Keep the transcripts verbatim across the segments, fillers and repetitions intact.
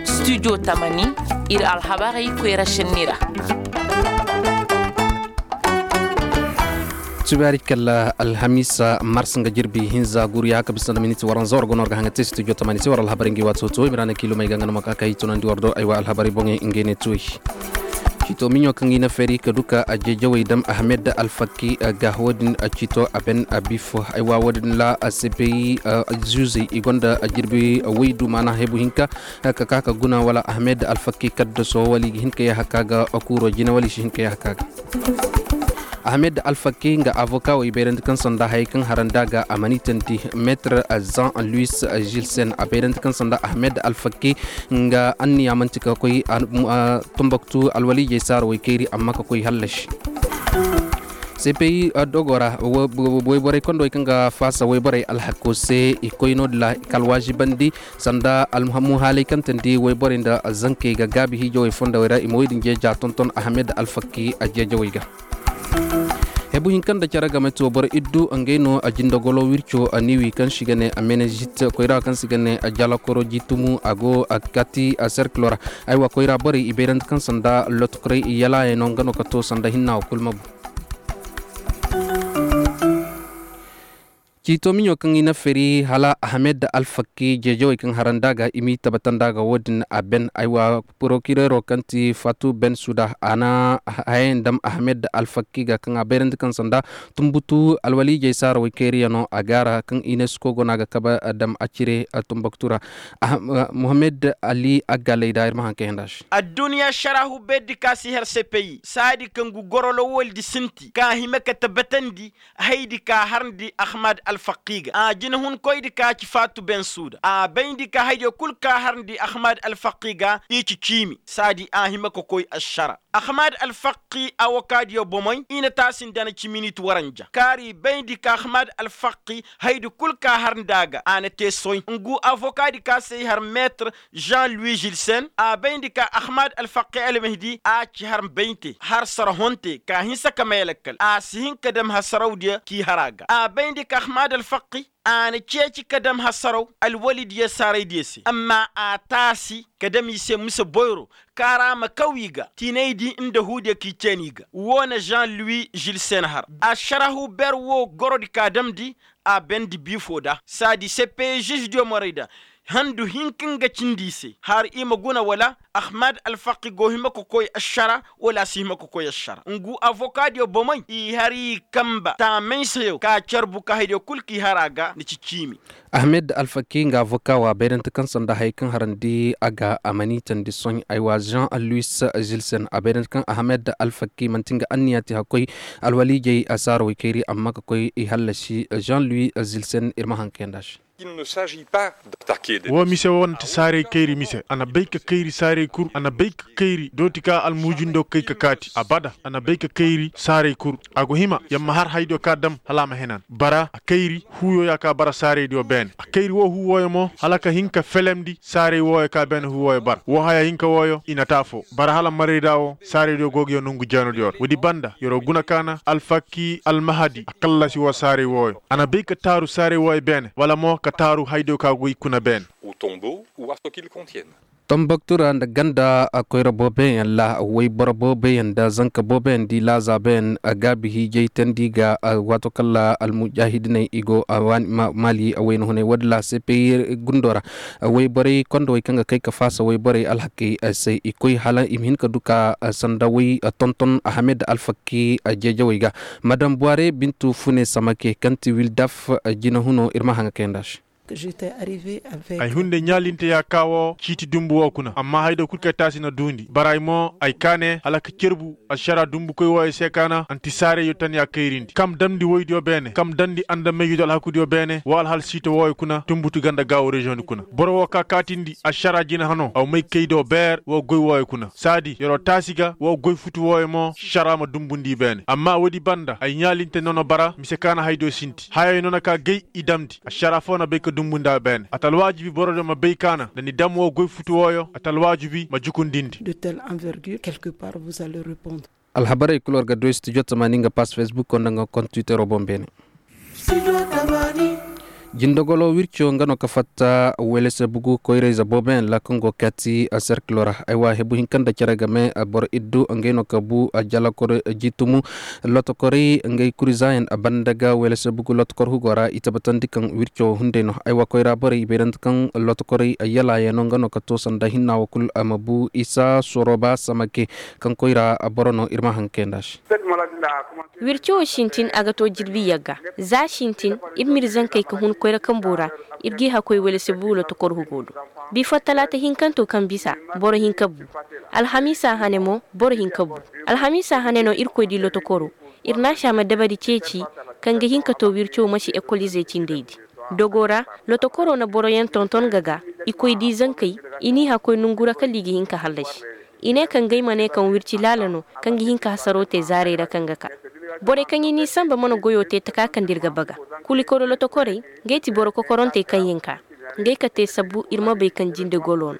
Studio tamani, ir alhabarey koyra šenni ra. Tubaari kalla alhamiisa mars nga jirbi hinza guru ya haka bisa nda miniti waranza war go no war ga haŋa te studio tamani se war alhabarey ngi waati hoto i ma ra na kiilumey ga nga no ma ka kay tunandi war do aywa alhabarey boŋey ngey ne tuwey. Ciito miɲo kaŋ i na feeri ka du ka a jeejawey dam ahmed alfakki ga wo-din ciito a ben a bifo aywa wo-din ra a sepeyi. Zuuzey i gonda a jirbi waydu maana hebu hinka ka ka ka guna wala ahmed alfakki kaddaso wala i ga hin ka yaaha ka ga kuuro jina wala i si hin ka yaaha ka ga. Ahmed alfakki nga avoka wo i bayrandi kaŋ sanda hayey kaŋ harandi a ga a mana i tandi meetir zan luis gilsen a bayrandi kaŋ sanda ahmed alfakki nga anniya manti ka koy tumbaktu alwaliijey saara woykayri amma ka koy hallasi. Sepeyi dogo ra wayborey kondowey kaŋ ga faasa wayborey alhako se i koy no- din ra i ka alwaazibandi sanda almuhaaley kaŋ tandi wayborey nda zankey ga gaabi hiijawey fondowey ra i ma wey din jeeja tonton ahmed alfakki a jeejawey ga. Hebu hinka nda care game to boro iddu ngey no a jindogolo wirco a niwi kaŋ si ga ne a menezit koyra kaŋ si ga ne a jalakoro jitumu a go a kati a serkilo ra. Aywa koyra borey i bayrandi kaŋ sanda lotokorey i yalaayey no nga no ka to sanda hinna wo kul ma bu. Ciito miɲo kaŋ i na feri hala ahmed alfakki jeejawey kaŋ harandi a ga i m'i tabatandi a ga wo-din a ben aywa. Porokirero kaŋ ti fatu ben suda a na hayey dam ahmed alfakki ga kaŋ a bayrandi kaŋ sanda tumbutu alwaliijey saarawey kayriya no a gaara kaŋ inesko go no a ga kabe dam a cire tumbaktu ra. Muhammed ali aggaley da ir ma haŋ kay handa se. Addunya sarahu berdi ka si har sepeyi saadi kaŋ gu gorolo woldi sinti ka hima ka tabatandi. Haydi ka harndi ahmad alfaqi ga a jinahunkoydi ka ci faatu ben suuda a bayndi ka haydiyo kul ka harndi ahmad alfaqi ga i ci ciimi saadi a hima ka koy ašara. Ahmad alfaqi awokadiyo bomey i na taasindi a na ci minit waranja kaari bayndi ka ahmad alfaqi haydi kul ka harndi a ga a na te soy ngu avokadi ka se i har meetir jean louis gilsen a bayndi ka ahmad alfaqi almehdi a ci har bayndi har sarahonte ka hinsa ka may lakkal a si hin ka dam hasarawdiyo k'i har a ga a bayndi ka ahmad alfaqi a na ceeci ka dam hasaraw alwalidiyo saaraydiyo se amma a taasi ka dam i se mise boyro kaara ma kaw i ga tinaydi nda huudiyo k'i ceeni i ga woo na jean louis gilsen har ašarahu ber woo gorodi ka damndi a bendi biifo da saadi sepeyi žuždiyo morayda handu hinka nga cindi i se har i ma guna wala ahmad alfaqi go hima ka koy ašara wala a si hima ka koy ašara ngu avokadiyo bomey i har i kamba taamay seyo ka carbu ka haydiyo kul k'i har a ga ni ci ciimi. Ahmed alfaqi nga avoka wa bayrante kaŋ sanda hayey kaŋ harandi a ga a mana i tandi sohõ aywa jean louis gilsen a bayrante kaŋ ahmed alfaqi manti nga anniya te hakkoy alwaliijey a saara woykayri amma ka koy i hallasi jean louis gilsen ir ma haŋ kayandi a se. Woo mise woo na ti saarey kayri mise a na bay ka kayri saarey kul a na bay ka kayri dooti ka almuujindo kay ka kaati abada a na bay ka kayri saarey kul a go hima yamma har haydiyo ka dam hala a ma henan bara a kayri huuyo ya ka bara saareydiyo beene a kayri woo huu wooyo mo hala ka hin ka felemndi saarey wooyo ka beene huu wooyo bara woo haya hinka wooyo i na te afoo bara hala marayda woo saaraydiyo go ga yer nongu jeenodiyo ra woodi banda yer'o guna ka na alfakki almahadi a kallasi woo saaray wooyo a na bay ka taaru saaray wooyo beene wala mo ka taaru haydiyo ka goy kuna beene. Tomboktu ra nda ganda koyra booboyaŋ ra wayboro booboyaŋ nda zanka booboyaŋ di laazaabayaŋ gaabi hiijay teendi ga waato kaŋ ra almujaahidiney i go maali wayna hunay woodin ra cpi gundo ra. Wayborey kondowey kaŋ ga kay ka faasa wayborey alhakey se i koy hala i ma hin ka du ka sanda way tonton ahamed alfakki jeejawey ga. Madam buware bintu fune samake kaŋ ti wildaf jinahuno ir ma haŋa kayandi a se. Ay hunde ɲaalinte ya ka wo ciiti dumbu wo kuna amma haydiyo kul kay taasi na duundi bara ay mo ay kaa ne hala ka cerbu ašara dumbukoy wooyo se ka na anti saarayyo tan ya kayrindi kam damndi woydiyo beene kam damndi andamayyo alhakudiyo beene woo alhal siito wooyo kuna tumbutu ganda gaawo reziyoŋdi kuna. Boro woo ka kaatindi ašara jina hano aw may kay do beer woo goy wooyo kuna saadi yer'o taasi ga woo goy futu wooyo mo šara ma dumbundi i beene amma woodi banda ay ɲaalinte nono bara mise ka na haydiyo sinti hayey nono ka gay i damndi ašara foo na bay ka dumbundi a beene a ta alwaajibi borodiyo ma bay ka na nda ni dam woo goy futu wooyo a ta alwaajibi ma jukundindi. Alhabarey kul war ga du studio tamaani nga pass facebook nda nga kont twitter boŋ beene. Jindogolo wirco nga no ka fatta welese bugu koyrayze booboyaŋ ra kaŋ go kaati serkilo ra. Aywa hebu hinka nda cere game boro iddu ngey no ka bu jalakor jitumu lotokorey ngey kurizayaŋ banda ga welese bugu lotokor hugo ra i tabatandi kaŋ wirco hunday no. Aywa koyra borey i bayrandi kaŋ lotokorey yalaayaŋ no nga no ka to sanda hinna wo kul a ma bu isa soroba samake kaŋ koyra boro no ir ma hankay nda se. Wirco wo sintin a ga to jirbi yagga za sintin ir m'ir zankey ka hun koyra kambo ra. Ir g'i hakkoy wala se bu lotokor hugo do. Bifo talaata hinkanto kaŋ bisa boro hinka bu. Alhamiisa hane mo boro hinka bu. Alhamiisa hane no irkoy di lotokoro. Ir naasi a ma dabari ceeci kaŋ ga hin ka to wirco ma si ekolizey cindey di. Dogo ra lotokoro na boroyaŋ tonton ga ga i koy di zankey. I n'i hakkoy nongu ra kala i ga hin ka hallasi. I ne kaŋ gay ma ne kaŋ wirci laala no kaŋ ga hin ka hasaro te zaarey ra kaŋ ga ka. Borey kaŋ i n'i sanba mana goyo te taka kaŋ da ir ga baga. Kulikoro lotokorey ngey ti boro kokorontey kaŋ yinka ngey ka te sabbu ir ma bay kaŋ jinde golo no.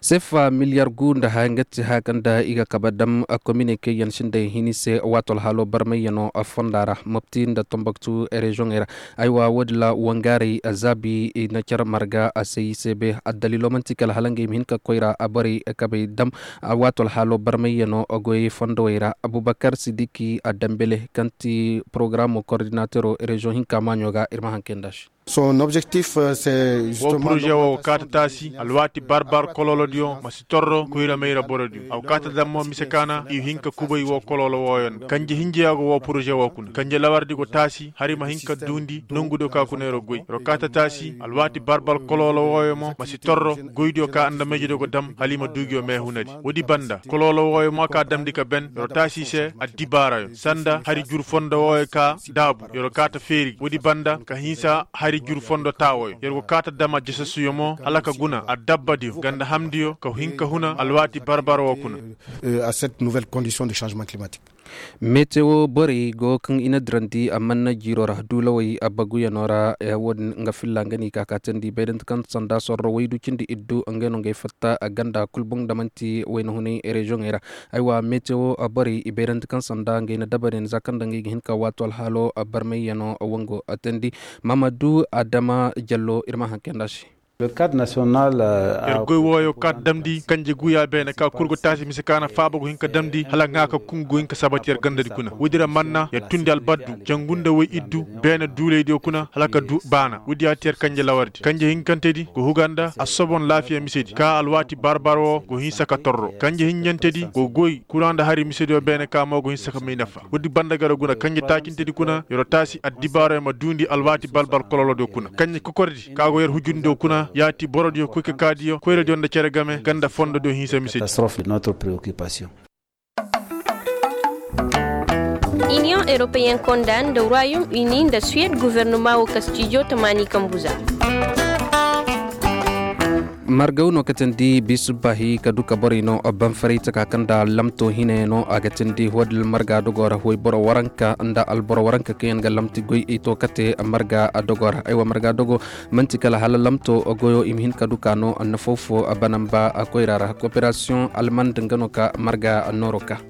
Sefa miliyar gu nda haya nga ti haya kaŋ da i ga kabe dam komine kaŋ yaŋ sinday hini se waato alhaalo barmayyaŋo fonda ra mopti nda tombaktu reziyoŋey ra. Aywa wo- din ra wangaarey zaabi i na care marga a se i se be addaliilo manti kala hala ngey ma hin ka koyra a borey kabey dam. Waato alhaalo barmayyaŋo goyey fondowey ra abubakar sidiki a dambele kaŋ ti porogaraamo kordinatero reziyoŋ hinka maaɲo ga ir ma hankay nda se. Son objectif. Wo poroze wo kaata taasi alwaati barbar kololodiyo ma si torro koyra mayra borodiyo a go kaata dam mo mise kaana i hin ka kubay wo kololo wooyo nda kanje hinjeya go wo poroze wo kuna kanje lawardi go taasi hari ma hin ka duundi nongudiyo ka kuna yer go goy yer go kaata taasi alwaati barbar kololo wooyo mo ma si torro goydiyo ka andameyjediyo go dam hala i ma duu ngiyo meehunadi. Woodi banda kololo wooyo mo ka damndi ka ben yer go taasi i se addibaarayo sanda hari jur fondo wooyo ka daabu yer go kaata feeri woodi banda ka hinsa hari jur fondo taawoyo yer go kaata dama jasasuyo mo hala ka guna addabbadiyo ganda hamndiyo ka hin ka huna alwaati barbara woo kuna. A cette nouvelle condition de changement climatique. Metewo borey go kaŋ i na dirandi a manna jiiro ra duulawey a baguyanoo ra. Wo- din nga filla nga n'i ka kaatandi bayrandi kaŋ sanda sorro waydu cindi iddu ngey no ngey fatta ganda kul boŋ da man'ti wayna hunay reziyoŋey ra. Aywa metewo borey i bayrandi kaŋ sanda ngey na dabariyaŋ za kaŋ nda ngey ga hin ka waato alhaalo barmayyaŋo wango teendi. Maamadu adama jallo ir ma haŋ kay nda se. Yer goy wooyo kaata damndi kanje guya beene ka kul go taasi mise ka na faaba go hin ka damndi hala ŋaa ka kungu go hin ka sabati yer gandadi kuna woodi ra manna yer tundi albaddu jangu nda way iddu beene duulaydiyo kuna hala ka duu baana woodi yaati yer kanje lawardi kanje hinkantedi go huga nda asobon laafiya misedi ka alwaati barbar woo go hinsa ka torro kanje hinjantedi go goy kura nda hari misediyo beene ka mo go hinsa ka may nafa woodi banda garo guna kanje taacintedi kuna yer go taasi addibaaro yer ma duundi alwaati balbal kololodiyo kuna kanje kokordi ka go yer hujundiyo kuna yaati borodiyo koykakaadiyo koyradiyo nda cere game ganda fondodiyo hinsa misedi. Iniyoŋ eropeyen konda nda ruwayom ini nda suwed gofornoma wo kastijo tamaani kambuza. Margaw no ka teendi biisubbaahi ka du ka borey no banfaray taka kaŋ nda lamto hinay no a ga teendi hoodil marga dogo ra hoy boro waranka nda alboro waranka kaŋ yaŋ ga lamti goy i to kate marga dogo ra aywa marga dogo man'ti kala hala lamto goyo i ma hin ka du ka no nafaw fo banamba koyra ra koperasiyoŋ almand nga no ka marga nooro ka.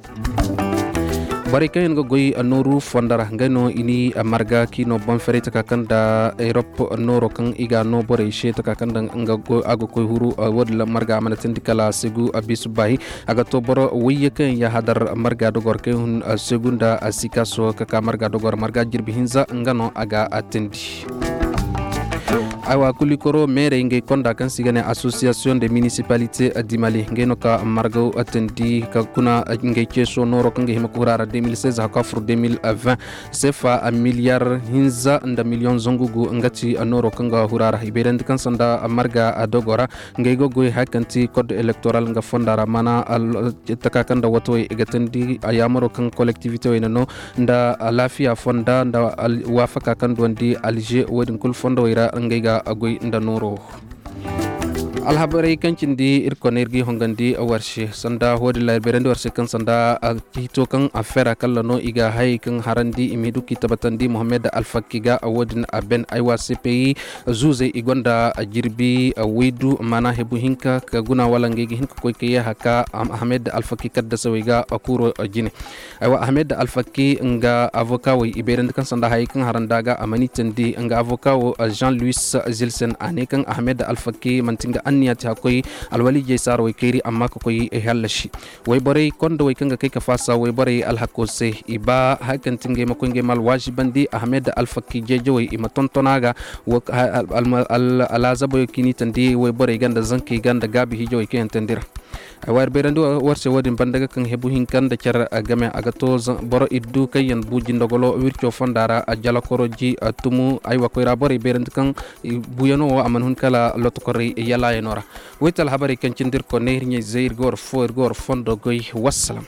Borey kaŋ yaŋ ga goy nooru fondo ra ngey no i ni marga k'i no boŋ ferey taka kaŋ nda erop nooro kaŋ i ga no borey se taka kaŋ nda a ga koy huru woodin ra marga a mana teendi kala segu bisu baahi. A ga to boro wayye kaŋ yaŋ yahadar marga dogor kaŋ yaŋ hun segu nda sikaso ka ka marga dogor marga jirbi hinza nga no a ga teendi. Aywa kulikoro meerey ngey konda kaŋ se i ga ne association de municipalité du mali ngey no ka margaw teendi ka kuna ngey ceeso nooro kaŋ ga hima ka hura ra deux mille seize haka fur deux mille vingt. Sefa miliyar hinza nda miliyoŋ zangu gu nga ti nooro kaŋ ga hura ra i bayrandi kaŋ sanda marga dogo ra. Ngey ga goy haya kaŋ ti code électoral nga fonda ra mana taka kaŋ nda watawey i ga teendi yaamaro kaŋ collectivité wey na no nda alaafiya fonda nda waafaka kaŋ duwandi alger woodin kulu fondowey ra ngey ga goy nda nooro. Alhabarey kaŋ cindi ir kone ir g'i hongandi war se sanda wo-din ra ir bayrandi war se kaŋ sanda, hito kaŋ a fera kalla no i ga hayey kaŋ harandi i m'i du k'i tabatandi mohammed alfakki ga wo-din a ben aywa cpi zuuzey i gonda jirbi waydu maana hebu hinka ka guna wala ngey ga hin ka koy ka yeeha ka ahmed alfakki kaddasawey ga kuro jine. Aywa ahmed alfakki nga avoka wey i bayrandi kaŋ sanda hayey kaŋ harandi a ga a mana i tandi nga avoka wo jean louis zilsen a ne kaŋ ahmed alfakki manti nga anniya ti hakkoy alwaliijey saara wey kayri amma ka koy hallasi. Wayborey kondowey kaŋ ga kay ka faasa wayborey alhako se i ba haya kaŋ ti ngey ma koy ngey ma alwaazibandi ahmed alfakki jeejawey i ma tonton a ga. Alaazaboyo kaŋ i n'i tandi wayborey ga nda zankey ga nda gaabi hiijawey kaŋ yaŋ tandi ra. Ay wa ir bayrandi war se wo-din banda ga kaŋ hebu hinka nda care game a ga to boro iddu kaŋ yaŋ bu jindogolo wirco fonda ra jalakoroji tumu ay wa koyra borey bayrandi kaŋ buyano wo a mana hun kala lotokorey yalayano ra. Wayte alhabarey kaŋ cindi ir kone ir ɲayzey ir ga war fo ir ga war fondo goy. Wassalam.